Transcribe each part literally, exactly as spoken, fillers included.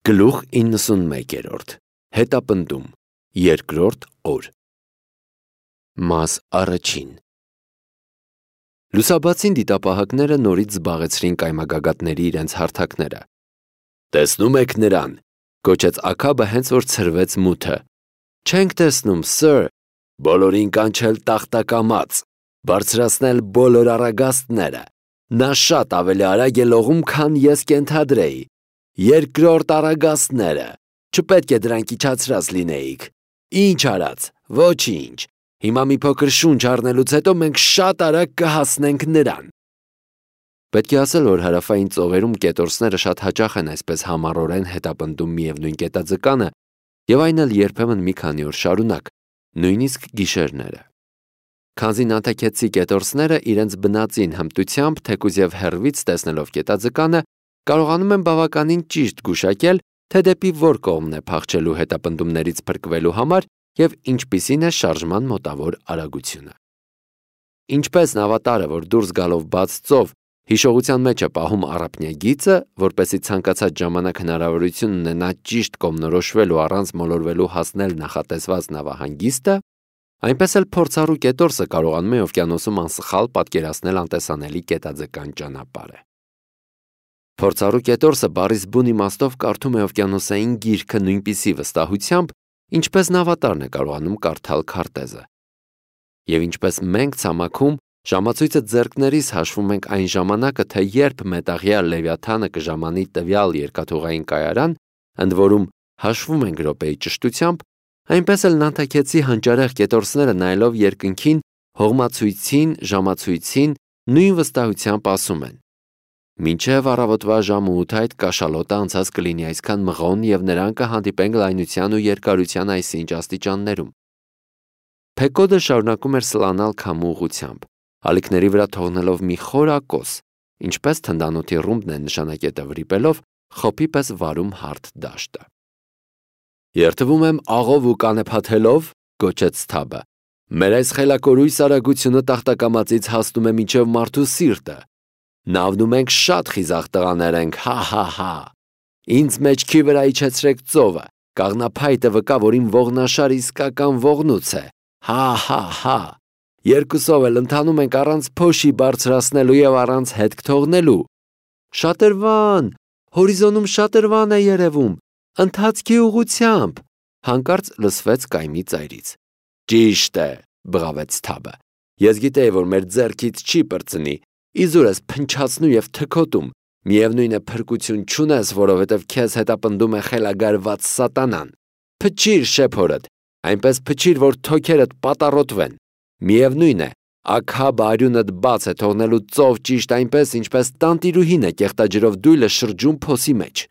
Գլուխ իննսունմեկերորդ Հետապնդում Երկրորդ օր Մաս առաջին Լուսաբացին դիտապահակները նորից զբաղեցրին կայմագագաթների իրենց հարթակները։ «Տեսնում եք նրան», գոչեց Աքաբը, հենց որ ցրվեց մութը։ «Չենք տեսնում, սըր, բոլորին կանչել տախտակամաց, բարձրացնել բոլոր առագաստները, նա շատ ավելի արագ է լողում, քան ես կենթադրեի։ Երկրորդ առագաստները, չպետք է դրանք իջացրած լինեիք։ Ինչ արած, ոչինչ, հիմա մի փոքր շունչ առնելուց հետո մենք շատ արագ կհասնենք նրան»։ Պետք է ասել, որ հարավային ծովերում կետորսները շատ հաճախ են այսպես համառորեն հետապնդում միևնույն կետաձկանը, եւ այն էլ երբեմն մի քանի օր շարունակ, նույնիսկ գիշերները։ Քանզի նանթաքեցի կետորսները իրենց բնածին հմտությամբ, թեկուզ եւ հեռվից տեսնելով կետաձկանը, կարողանում են բավականին ճիշտ գուշակել, թե դեպի որ կողմն է փախչելու հետապնդումներից փրկվելու համար եւ ինչպիսին է շարժման մոտավոր արագությունը։ Ինչպես նավատարը, որ դուրս գալով բաց ծով, հիշողության մեջ է պահում առափնյագիծը, որպեսզի ցանկացած ժամանակ հնարավորություն ունենա ճիշտ կողմնորոշվելու առանց մոլորվելու հասնել նախատեսված նավահանգիստը, այնպես էլ փորձառու կետորսը կարողանում է օվկիանոսում անսխալ պատկերացնել անտեսանելի կետաձկան ճանապարհը։ Փորձառու կետորսը բառից բուն իմաստով կարդում է օվկիանոսային գիրքը նույնպիսի վստահությամբ, ինչպես նավատարն է կարողանում կարդալ քարտեզը։ Եվ ինչպես մենք ցամաքում ժամացույցը ձեռքներիս հաշվում ենք այն ժամանակը, թե երբ մետաղյա Լևիաթանը կժամանի տվյալ երկաթուղային կայարան, ընդ որում հաշվում ենք րոպեի ճշտությամբ, այնպես էլ նանթաքեցի հանճարեղ կետորսները նայելով երկնքին, հողմացույցին, ժամացույցին նույն վստահությամբ ասում են. «Մինչև առավոտվա ժամը ութ այդ կաշալոտը անցած կլինի այսքան մղոն եւ նրան կհանդիպենք լայնության ու երկարության այսինչ աստիճաններում»։ Փեկոդը շարունակում էր սլանալ քամու ուղղությամբ, ալիքների վրա թողնելով մի խոր ակոս, ինչպես թնդանոթի ռումբն է նշանակետը վրիպելով, խոփի պես վարում հարթ դաշտը։ «Երթվում եմ աղով ու կանեփաթելով», գոչեց Սթաբը, «մեր այս խելակորույս արագությունը տախտակամածից հասնում է մինչև մարդու սիրտը։ Նավնում ենք շատ խիզախ տղաներ ենք, հա-հա-հա։ Ինձ մեջքի վրա իջեցրեք ծովը, կաղնափայտը վկա, որ իմ ողնաշար իսկական ողնուց է, հա-հա-հա։ Երկուսով էլ ընթանում ենք առանց փոշի բարձրացնելու եւ առանց հետք թողնելու։ Շատրվան, հորիզոնում շատրվան է երևում, ընթացքի ուղղությամբ», հանկարծ լսվեց կայմի ծայրից։ «Ճիշտ է», բղավեց Սթաբը, «ես գիտեի, որ մեր ձեռքից չի պրծնի, իզուր ես փնչացնում եւ թքոտում, միևնույն է փրկություն չունես, որովհետեւ քեզ հետապնդում է խելագարված սատանան։ Փչիր շեփորդ, այնպես փչիր, որ թոքերդ պատառոտվեն։ Միևնույն է, Աքաբը արյունդ բաց է թողնելու ծով ճիշտ այնպես, ինչպես տանտիրուհին է կեղտաջրով դույլը շրջում փոսի մեջ»։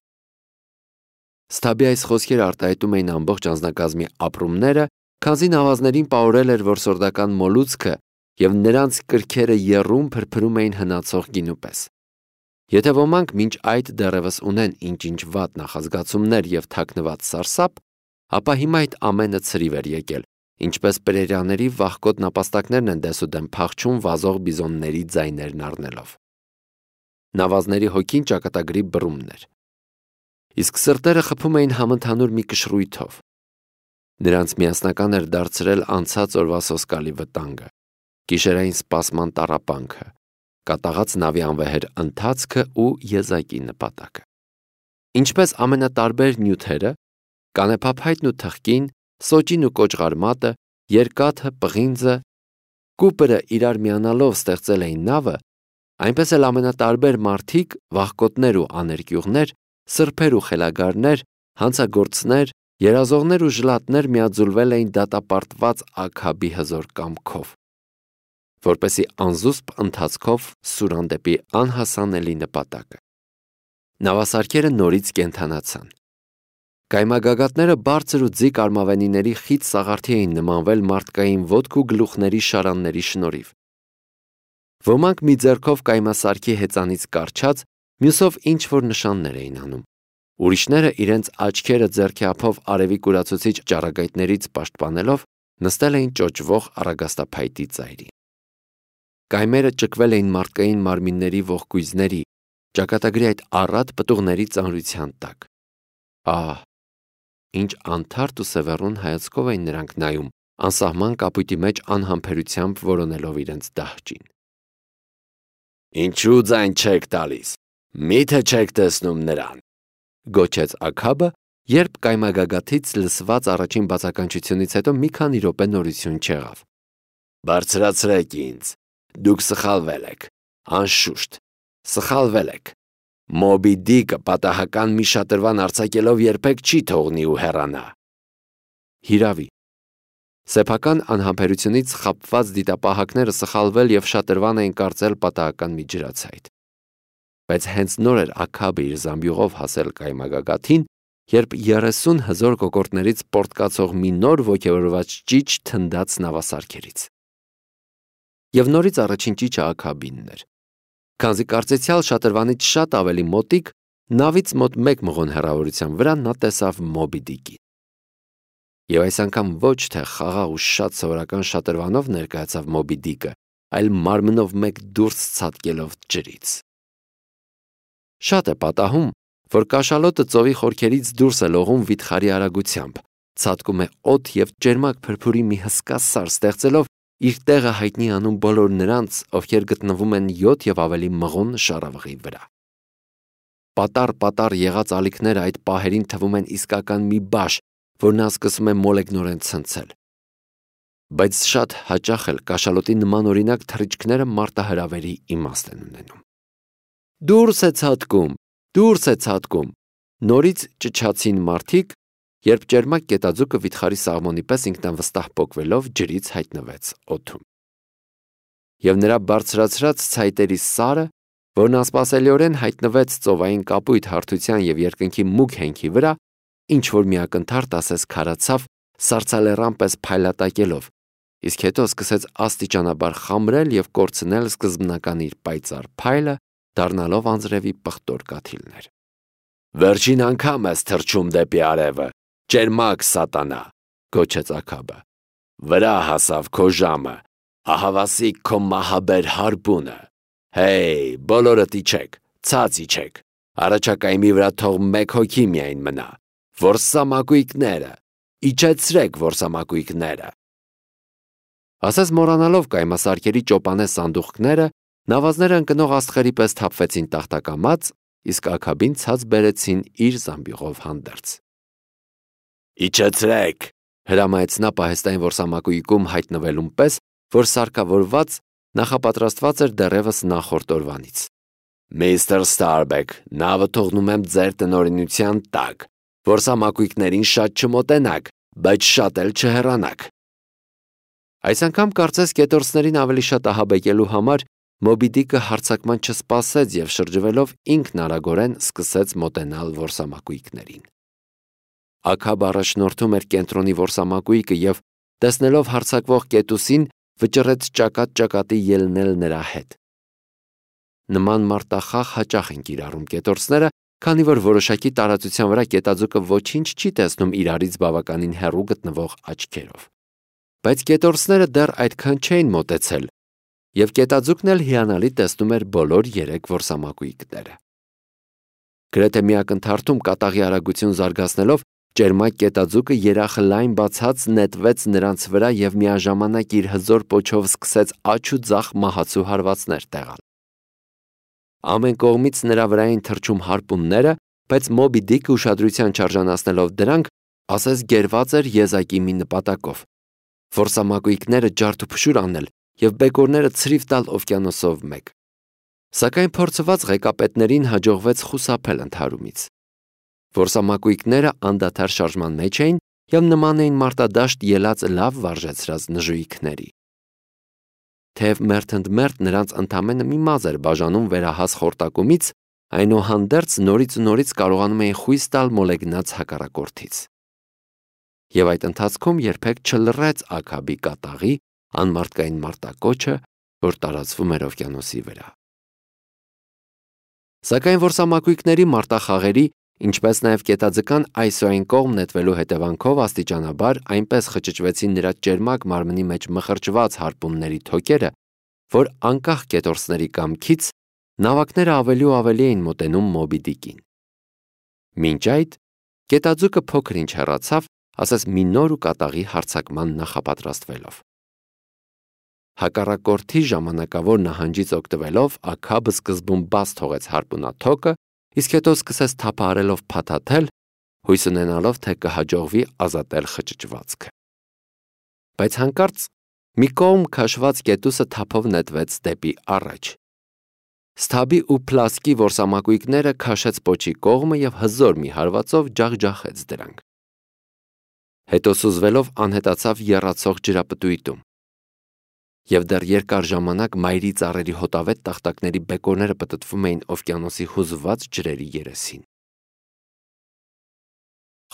Սթաբի այս խոսքերը արտահայտում էին ամբողջ անձնակազմի ապրումները, քանզի նավազներին պահորել էր որսորդական մոլուցքը եւ նրանց կրքերը եռում փրփրում էին հնացող գինու պես։ Եթե ոմանք մինչ այդ դեռևս ունեն ինչ-ինչ վատ նախազգացումներ եւ թաքնված սարսափ, ապա հիմա այդ ամենը ցրիվ էր եկել, ինչպես պրերիաների վախկոտ նապաստակներն են դեսուդեմ փախչում վազող բիզոնների ձայներն առնելով։ Նավազների հոգին ճակատագրի բռումն էր, իսկ սրտերը խփում էին համընդհանուր մի կշռույթով։ Նրանց միասնական էր դարձրել անցած օրվա սոսկալի վտանգը, գիշերային սպասման տառապանքը, կատաղած նավի անվեհեր ընթացքը ու եզակի նպատակը։ Ինչպես ամենատարբեր նյութերը, կանեփափայտն ու թխկին, սոճին ու կոճղարմատը, երկաթը, պղինձը, կուպրը իրար միանալով ստեղծել էին նավը, այնպես էլ ամենատարբեր մարդիկ, վախկոտներ ու աներկյուղներ, սրբեր ու խելագարներ, հանցագործներ, երազողներ ու ժլատներ միաձուլվել էին դատապարտված Աքաբի հզոր կամքով, որպեսի անզուսպ ընթացքով սուրան դեպի անհասանելի նպատակը։ Նավասարքերը նորից կենդանացան։ Կայմագագաթները բարձր ու ձիգ արմավենիների խիտ սաղարթի էին նմանվել մարդկային ոտք ու գլուխների շարանների շնորհիվ։ Ոմանք մի ձեռքով կայմասարքի հեծանից կառչած, մյուսով ինչ-որ նշաններ էին անում։ Ուրիշները իրենց աչքերը ձեռքի ափով արևի կուրացուցիչ ճառագայթներից պաշտպանելով նստել էին ճոճվող առագաստափայտի ծայրին։ Կայմերը ճկվել էին մարդկային մարմինների ողկույզների, ճակատագրի այդ առատ պտուղների ծանրության տակ։ Ահ, ինչ անթարթ ու սևեռուն հայացքով էին նրանք նայում, անսահման կապույտի մեջ անհամբերությամբ որոնելով իրենց դահճին։ Ինչու ձայն չեք տալիս, միթե չեք տեսնում նրան, գոչեց Աքաբը, երբ կայմագագաթից լսված առաջին բացականչությունից հետո մի քանի րոպե նորություն չեղավ։ Բարձրացրեք ինձ, դուք սխալվել եք, անշուշտ, սխալվել եք։ Մոբի Դիկը պատահական մի շատրվան արձակելով երբեք չի թողնի ու հեռանա։ Հիրավի, սեփական անհամբերությունից խաբված դիտապահակները սխալվել և շատրվան էին կարծել պատահական մի ջրացայդ։ Բայց հենց նոր էր Աքաբը իր զամբյուղով հասել կայմագագաթին, երբ երեսուն հզոր կոկորդներից պորտկացող մի նոր ոգևորված ճիչ թնդաց նավասարքերից։ Եվ նորից առաջին ճիչը Աքաբինն էր։ Քանզի կարծեցյալ շատրվանից շատ ավելի մոտիկ, նավից մոտ մեկ մղոն հեռավորության վրա նա տեսավ Մոբի Դիկին։ Եվ այս անգամ ոչ թե խաղաղ ու շատ սովորական շատրվանով ներկայացավ Մոբի Դիկը, այլ մարմնով մեկ դուրս ցատկելով ջրից։ Շատ է պատահում, որ կաշալոտը ծովի խորքերից դուրս է լողում վիթխարի արագությամբ, ցատկում է օդ և ճերմակ փրփուրի մի հսկա սար ստեղծելով իր տեղը հայտնի անում բոլոր նրանց, ովքեր գտնվում են յոթ և ավելի մղոն շառավղի վրա։ Պատառ-պատառ եղած ալիքները այդ պահերին թվում են իսկական մի բաշ, որ նա սկսում է մոլեգնորեն ցնցել։ Բայց շատ հաճախ էլ կաշալոտի նմանօրինակ թռիչքները մարտահրավերի իմաստ են ունենում։ Դուրս է ցատկում, դուրս է ցատկում, նորից ճչացին մարդիկ, երբ ճերմակ կետաձուկը վիթխարի սաղմոնի պես ինքնավստահ պոկվելով ջրից հայտնվեց օդում։ Եվ նրա բարձրացրած ցայտերի սարը, որն անսպասելիորեն հայտնվեց ծովային կապույտ հարթության և երկնքի մուգ հենքի վրա, ինչ-որ մի ակնթարթ ասես քարացավ, սառցալեռան պես փայլատակելով, իսկ հետո սկսեց աստիճանաբար խամրել և կորցնել սկզբնական իր պայծառ փայլը, դառնալով անձրևի պղտոր կաթիլներ։ Վերջին անգամ ես թռչում դեպի արևը, ճերմակ սատանա, գոչեց Աքաբը։ Վրա հասավ քո ժամը, ահավասիկ քո մահաբեր հարբունը։ Հեյ, բոլորդ իջեք, ցած իջեք, առաջակայմի վրա թող մեկ հոգի միայն մնա, որսամակույկները, իջեցրեք որսամակույկները։ Ասես մոռանալով կայմասարքերի ճոպանե սանդուղքները, նավազները ընկնող աստղերի պես թափվեցին տախտակամած, իսկ Աքաբին ցած բերեցին իր զամբյուղով հանդերձ։ Իջեցրեք, հրամայեց նա պահեստային որսամակույկում հայտնվելուն պես, որ սարքավորված նախապատրաստված էր դեռևս նախորդ օրվանից։ Միստր Ստարբեք, նավը թողնում եմ ձեր տնօրինության տակ, որսամակույկներին շատ չմոտենաք, բայց շատ էլ չհեռանաք։ Այս անգամ կարծես կետորսներին ավելի շատ ահաբեկելու համար Մոբի Դիկը հարձակման չսպասեց և շրջվելով ինքն արագորեն սկսեց մոտենալ որսամակույկներին։ Աքաբը առաջնորդում էր կենտրոնի որսամակույկը և, տեսնելով հարձակվող կետուսին, վճռեց ճակատ-ճակատի ելնել նրա հետ։ Նման մարտախաղ հաճախ են կիրառում կետորսները, քանի որ որոշակի տարածության վրա կետաձուկը ոչինչ չի տեսնում իրարից բավականին հեռու գտնվող աչքերով։ Բայց կետորսները դեռ այդքան չէին մոտեցել, և կետաձուկն էլ հիանալի տեսնում էր բոլոր երեք որսամակույկները։ Գրեթե մի ակնթարթում կատաղի արագություն զարգացնելով, ճերմակ կետաձուկը երախը լայն բացած նետվեց նրանց վրա և միաժամանակ իր հզոր պոչով սկսեց աջ ու ձախ մահացու հարվածներ տեղալ։ Ամեն կողմից նրա վրա էին թռչում հարպունները, բայց Մոբի Դիկը ուշադրության չարժանացնելով դրանք, ասես գերված էր եզակի մի նպատակով՝ որսամակույկները ջարդուփշուր անել և բեկորները ցրիվ տալ օվկիանոսով մեկ։ Սակայն փորձված ղեկապետներին հաջողվեց խուսափել ընդհարումից։ Որսամակույկները անդադար շարժման մեջ էին և նման էին մարտադաշտ ելած լավ վարժեցրած նժույգների։ Թեև մերթընդմերթ նրանց ընդամենը մի մազը էր բաժանում վերահաս խորտակումից, այնուհանդերձ նորից ու նորից կարողանում էին խույս տալ մոլեգնած հակառակորդից։ Եվ այդ ընթացքում երբեք չլռեց Աքաբի կատաղի անմարդկային մարտակոչը, որ տարածվում էր օվկիանոսի վրա։ Սակայն որսամակույկների մարտախաղերի, ինչպես նաև կետաձկան այս ու այն կողմ նետվելու հետևանքով աստիճանաբար այնպես խճճվեցին նրա ճերմակ մարմնի մեջ մխրճված հարպունների թոքերը, որ անկախ կետորսների կամքից նավակները ավելի ու ավելի էին մոտենում Մոբի Դիկին։ Մինչ այդ Գետաձուկը փոքր ինչ հեռացավ, ասես մի նոր ու կատաղի հարձակման նախապատրաստվելով։ Հակառակորդի ժամանակավոր նահանջից օգտվելով Աքաբը սկզբում բաց թողեց հարպունաթոկը, իսկ հետո սկսեց թափահարելով փաթաթել, հույս ունենալով, թե կհաջողվի ազատել խճճվածքը։ Բայց հանկարծ մի կողմ քաշված կետուսը թափով նետվեց դեպի առաջ։ Սթաբի ու Փլասկի որսամակույկները քաշեց պոչի կողմը և հզոր մի հարվածով ջախջախեց դրանք։ Հետո սուզվելով անհետացավ եռացող ջրապտույտում։ Եվ դեռ երկար ժամանակ մայրի ծառերի հոտավետ տախտակների բեկորները պտտվում էին օվկիանոսի հուզված ջրերի երեսին։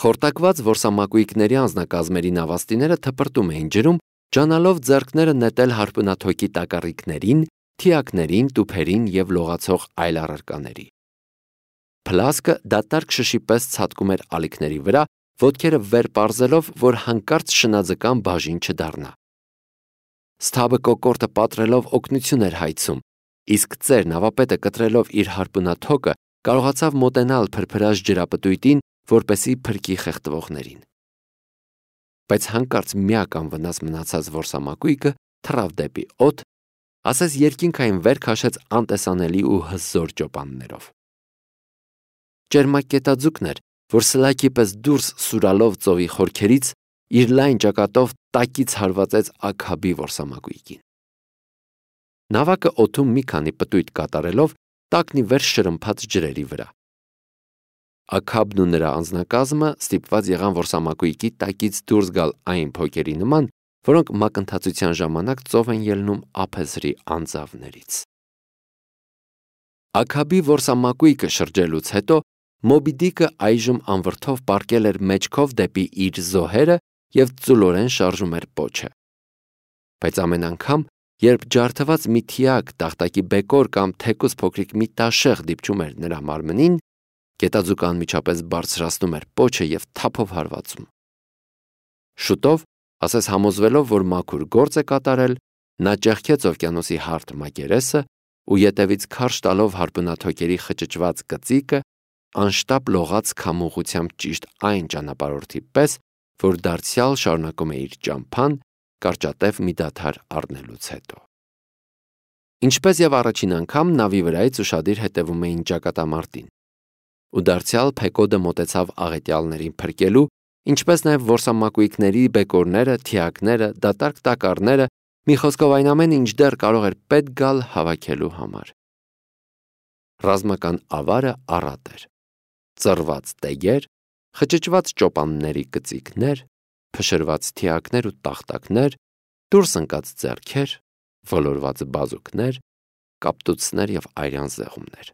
Խորտակված որսամակույկների անձնակազմերի նավաստիները թպրտում էին ջրում, ջանալով ձեռքները նետել հարպունաթոկի տակառիկներին, թիակներին, տուփերին և լողացող այլ առարկաների։ Փլասկը դատարկ շշի պես ցատկում էր ալիքների վրա, ոտքերը վեր պարզելով, որ հանկարծ շնաձկան բաժին չդառնա։ Սթաբը կոկորտը պատրելով օգնություն էր հայցում, իսկ ծեր նավապետը կտրելով իր հարպունաթոկը կարողացավ մոտենալ փրփրած ջրապտույտին, որպեսզի փրկի խեղդվողներին։ Բայց հանկարծ միակ անվնաս մնացած որսամակույկը թռավ դեպի օդ, ասես երկինքային վեր քաշեց անտեսանելի ու հզոր ճոպաններով։ Ճերմակ գետաձուկն էր, որ սլաքի պես դուրս սուրալով ծովի խորքերից իր լայն ճակատով տակից հարվածեց Աքաբի որսամակույկին։ Նավակը օդում մի քանի պտույտ կատարելով տակն ի վեր շրմփաց ջրերի վրա։ Աքաբն ու նրա անձնակազմը ստիպված եղան որսամակույկի տակից դուրս գալ այն փոկերի նման, որոնք մակընթացության ժամանակ ծով են ելնում ափեզրի անձավներից։ Աքաբի որսամակույկը շրջելուց հետո Մոբի Դիկը այժմ անվրդով պառկել էր մեջքով դեպի իր զոհերը և ծուլորեն շարժում էր պոչը։ Բայց ամեն անգամ, երբ ջարդված մի թիակ, տախտակի բեկոր կամ թեկուզ փոքրիկ մի տաշեղ դիպչում էր նրա մարմնին, գետաձուկը անմիջապես բարձրացնում էր պոչը և թափով հարվածում։ Շուտով, ասես համոզվելով, որ մաքուր գործ է կատարել, նա ճեղքեց օվկիանոսի հարթ մակերեսը ու ետևից քարշ տալով հարպունաթոկերի խճճված կծիկը, անշտապ լողաց քամուղությամբ ճիշտ այն ճանապարհորդի պես, որ դարձյալ շարունակում է իր ճամփան, կարճատև մի դադար առնելուց հետո։ Ինչպես և առաջին անգամ նավի վրայից ուշադիր հետևում էին ճակատամարտին, ու դարձյալ Փեկոդը մոտեցավ աղետյալներին փրկելու, ինչպես նաև որսամակույկների բեկորները, թիակները, դատարկ տակառները, մի խոսքով այն ամենը, ինչ դեռ կարող էր պետք գալ հավաքելու համար։ Ռազմական ավարը առատ էր։ Ծռված տեգեր, խճճված ճոպանների կծիկներ, փշրված թիակներ ու տախտակներ, դուրս ընկած ձեռքեր, ոլորված բազուկներ, կապտուցներ և արյան զեղումներ։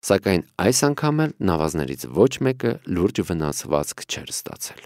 Սակայն այս անգամ էլ նավազներից ոչ մեկը լուրջ վնասվածք չէր ստացել։